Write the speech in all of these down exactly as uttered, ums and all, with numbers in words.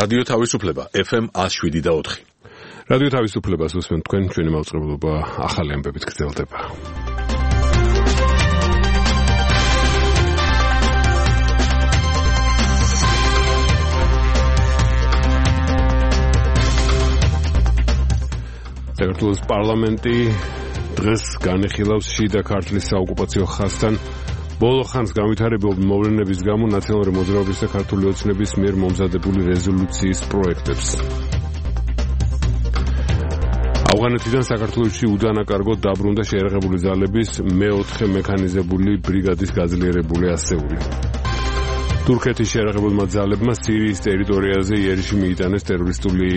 რადიო თავისუფლება ეფ ემ one oh seven და four. რადიო თავისუფლებას უსმენთ თქვენ, ჩვენი მაუწყებლობა ახალი ამბებით გრძელდება. საქართველოს პარლამენტი დღეს განიხილავს შიდა ქართლის საოკუპაციო ხაზთან ბოლო ხანს განვითარებულ მოვლენების გამო ნაციონალური მოძრაობის და ქართული ოცნების მიერ მომზადებული რეზოლუციის პროექტებს. ავღანეთიდან საქართველოში უდანაკარგოდ დაბრუნდა შეიარაღებული ძალების მეოთხე მექანიზებული ბრიგადის გაძლიერებული ასეული. თურქეთის შეიარაღებულმა ძალებმა სირიის ტერიტორიაზე იერიში მიიტანეს ტერორისტული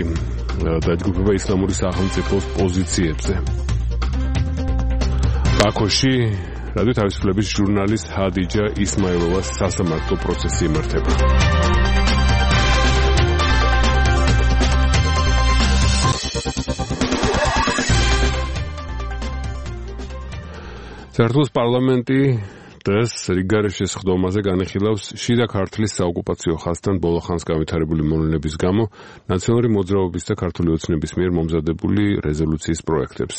დაჯგუფება ისლამური სახელმწიფოს პოზიციებზე. ბაქოში რადიო თავისუფლების ჟურნალისტ ჰადიჯა ისმაილოვას სასამართლო პროცესი იმართება. საქართველოს პარლამენტი დღეს რიგგარეშე სხდომაზე განიხილავს შიდა ქართლის საოკუპაციო ხაზთან ბოლო ხანს განვითარებული მოვლენების გამო ნაციონალური მოძრაობის და ქართული ოცნების მიერ მომზადებული რეზოლუციის პროექტებს.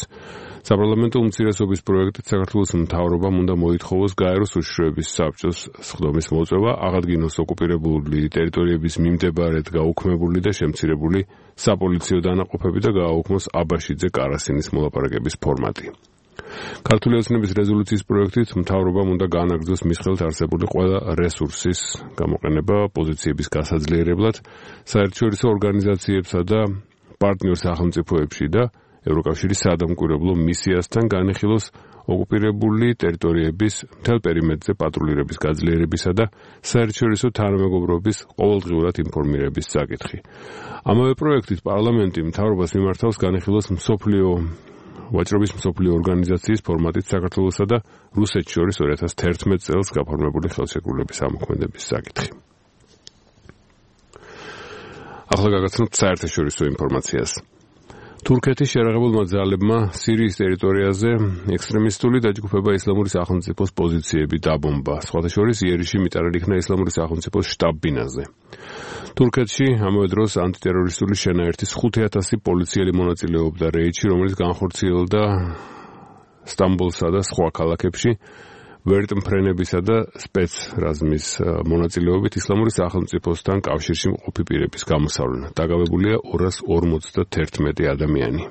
საპარლამენტო უმცირესობის პროექტით საქართველოს მთავრობამ უნდა მოითხოვოს გაეროს უშიშროების საბჭოს სხდომის მოწვევა, აღადგინოს ოკუპირებული ტერიტორიების მიმდებარედ გაუქმებული და შემცირებული საპოლიციო დანაყოფები და გააუქმოს აბაშიძე კარასინის მოლაპარაკების ფორმატი. ქართული ოცნების რეზოლუციის პროექტით მთავრობამ უნდა გაანაგრძოს მის ხელთ არსებული ყველა რესურსის გამოყენება პოზიციების გასაძლიერებლად საერთაშორისო ორგანიზაციებსა და პარტნიორ სახელმწიფოებში და ევროკავშირის საადამკვირვებლო მისიასთან განიხილოს ოკუპირებული ტერიტორიების მთელ პერიმეტრზე პატრულირების გაძლიერებისა და საერთაშორისო თანამეგობრობის ყოველდღიურად ინფორმირების საკითხი. ამავე პროექტით პარლამენტი მთავრობას მიმართავს განიხილოს მსოფლიო ვაჭრობის მსოფლიო ორგანიზაციის ფორმატით საქართველოსა და რუსეთს შორის two thousand eleven წელს გაფორმებული ხელშეკრულების ამოქმედების საკითხი. ახლა გაგაცნობთ საერთაშორისო ინფორმაციას. თურქეთის შეიარაღებულმა ძალებმა სირიის ტერიტორიაზე ექსტრემისტული დაჯგუფება ისლამური სახელმწიფოს პოზიციები დაბომბა. სხვათა შორის იერიში მიტანილი იქნა ისლამური სახელმწიფოს შტაბ-ბინაზე. თურქეთში ამავე დროს ანტიტერორისტული შენაერთის ხუთი ათასი პოლიციელი მონაწილეობდა რეიდში, რომელიც განხორციელდა სტამბოლსა და სხვა ქალაქებში ვერტმფრენებისა და სპეცრაზმის მონაწილეობით ისლამური სახელმწიფოსთან კავშირში მყოფი პირების გამოსავლენა. დაგავებულია two hundred forty-one ადამიანი.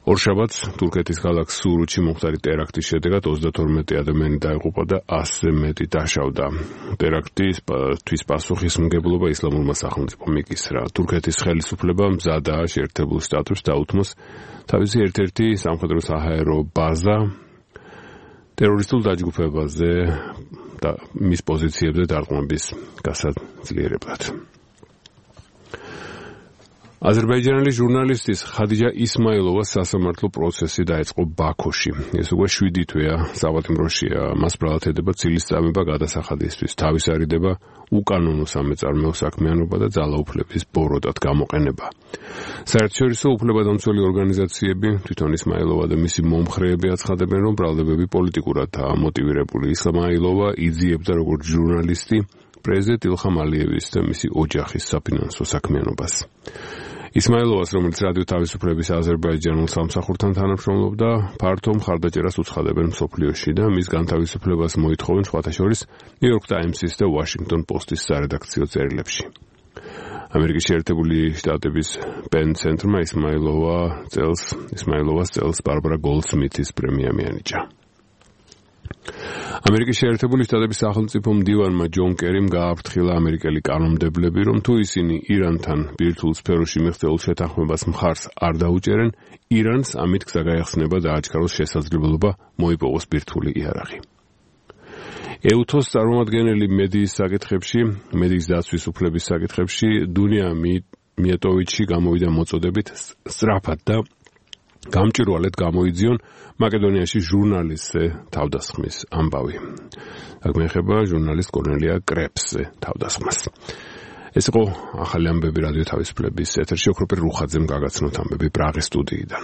ორშაბათს თურქეთის ქალაქ სურუთში მომხდარი ტერაქტის შედეგად ოცდათორმეტი ადამიანი დაიღუპა და ასზე მეტი დაშავდა. ტერაქტისთვის პასუხისმგებლობა ისლამურმა სახელმწიფომ იკისრა. თურქეთის ხელისუფლება მზადაა შეერთებულ შტატებს დაუთმოს თავისი ერთ-ერთი სამხედრო საჰაერო ბაზა ტერორისტულ დაჯგუფებაზე და მის პოზიციებზე დარტყმების გასაძლიერებლად. აზერბაიჯანელი ჟურნალისტის ხადიჯა ისმაილოვას სასამართლო პროცესი დაიწყო ბაქოში. ეს უკვე შვიდი თვეა საპატიმროშია. მას ბრალათედება ცილის წამება გადასახადისთვის, თავის არიდება უკანონო სამეწარმეო საქმიანობა და ძალაუფლების ბოროტად გამოყენება. საერთაშორისო უფლებადამცველი ორგანიზაციები, თვითონ ისმაილოვა და მისი მომხრეები აცხადებენ, რომ ბრალდებები პოლიტიკურადაა მოტივირებული. ისმაილოვა იძიებდა როგორც ჟურნალისტი პრეზიდენტ ილხამ ალიევის და მისი ოჯახის საფინანსო საქმიანობას. ისმაილოვას, რომელიც რადიო თავისუფლების აზერბაიჯანულ სამსახურთან თანამშრომლობდა, ფართო მხარდაჭერას უცხადებენ მსოფლიოში და მის განთავისუფლებას მოითხოვენ სხვათა შორის New York Times-ის და Washington Post-ის სარედაქციო წერილებში. ამერიკის შეერთებული შტატების პენ ცენტრმა ისმაილოვა წელს ისმაილოვას წელს ბარბარა გოლდსმითის პრემია მიანიჭა. ამერიკის შეერთებული შტატების სახელმწიფო მდივანმა ჯონ კერიმ გააფრთხილა ამერიკელი კანონმდებლები, რომ თუ ისინი ირანთან ბირთვულ სფეროში მიღწეულ შეთანხმებას მხარს არ დაუჭერენ, ირანს ამით გზა გაეხსნება და აჩქაროს შესაძლებლობა მოიპოვოს ბირთვული იარაღი. ეუთოს წარმომადგენელი მედიის საკითხებში, მედიის დაცვის უფლების საკითხებში დუნია მიეტოვიჩი გამოვიდა მოწოდებით სწრაფად და გამჭვირვალედ გამოიძიონ მაკედონიაში ჟურნალისტზე თავდასხმის ამბავი. აქ მეეხება ჟურნალისტ კორნელია კრეპსზე თავდასხმას. ეს იყო ახალი ამბები რადიო თავისუფლების ეთერში. ოქროპირ რუხაძემ გაგაცნოთ ამბები პრაღის სტუდიიდან.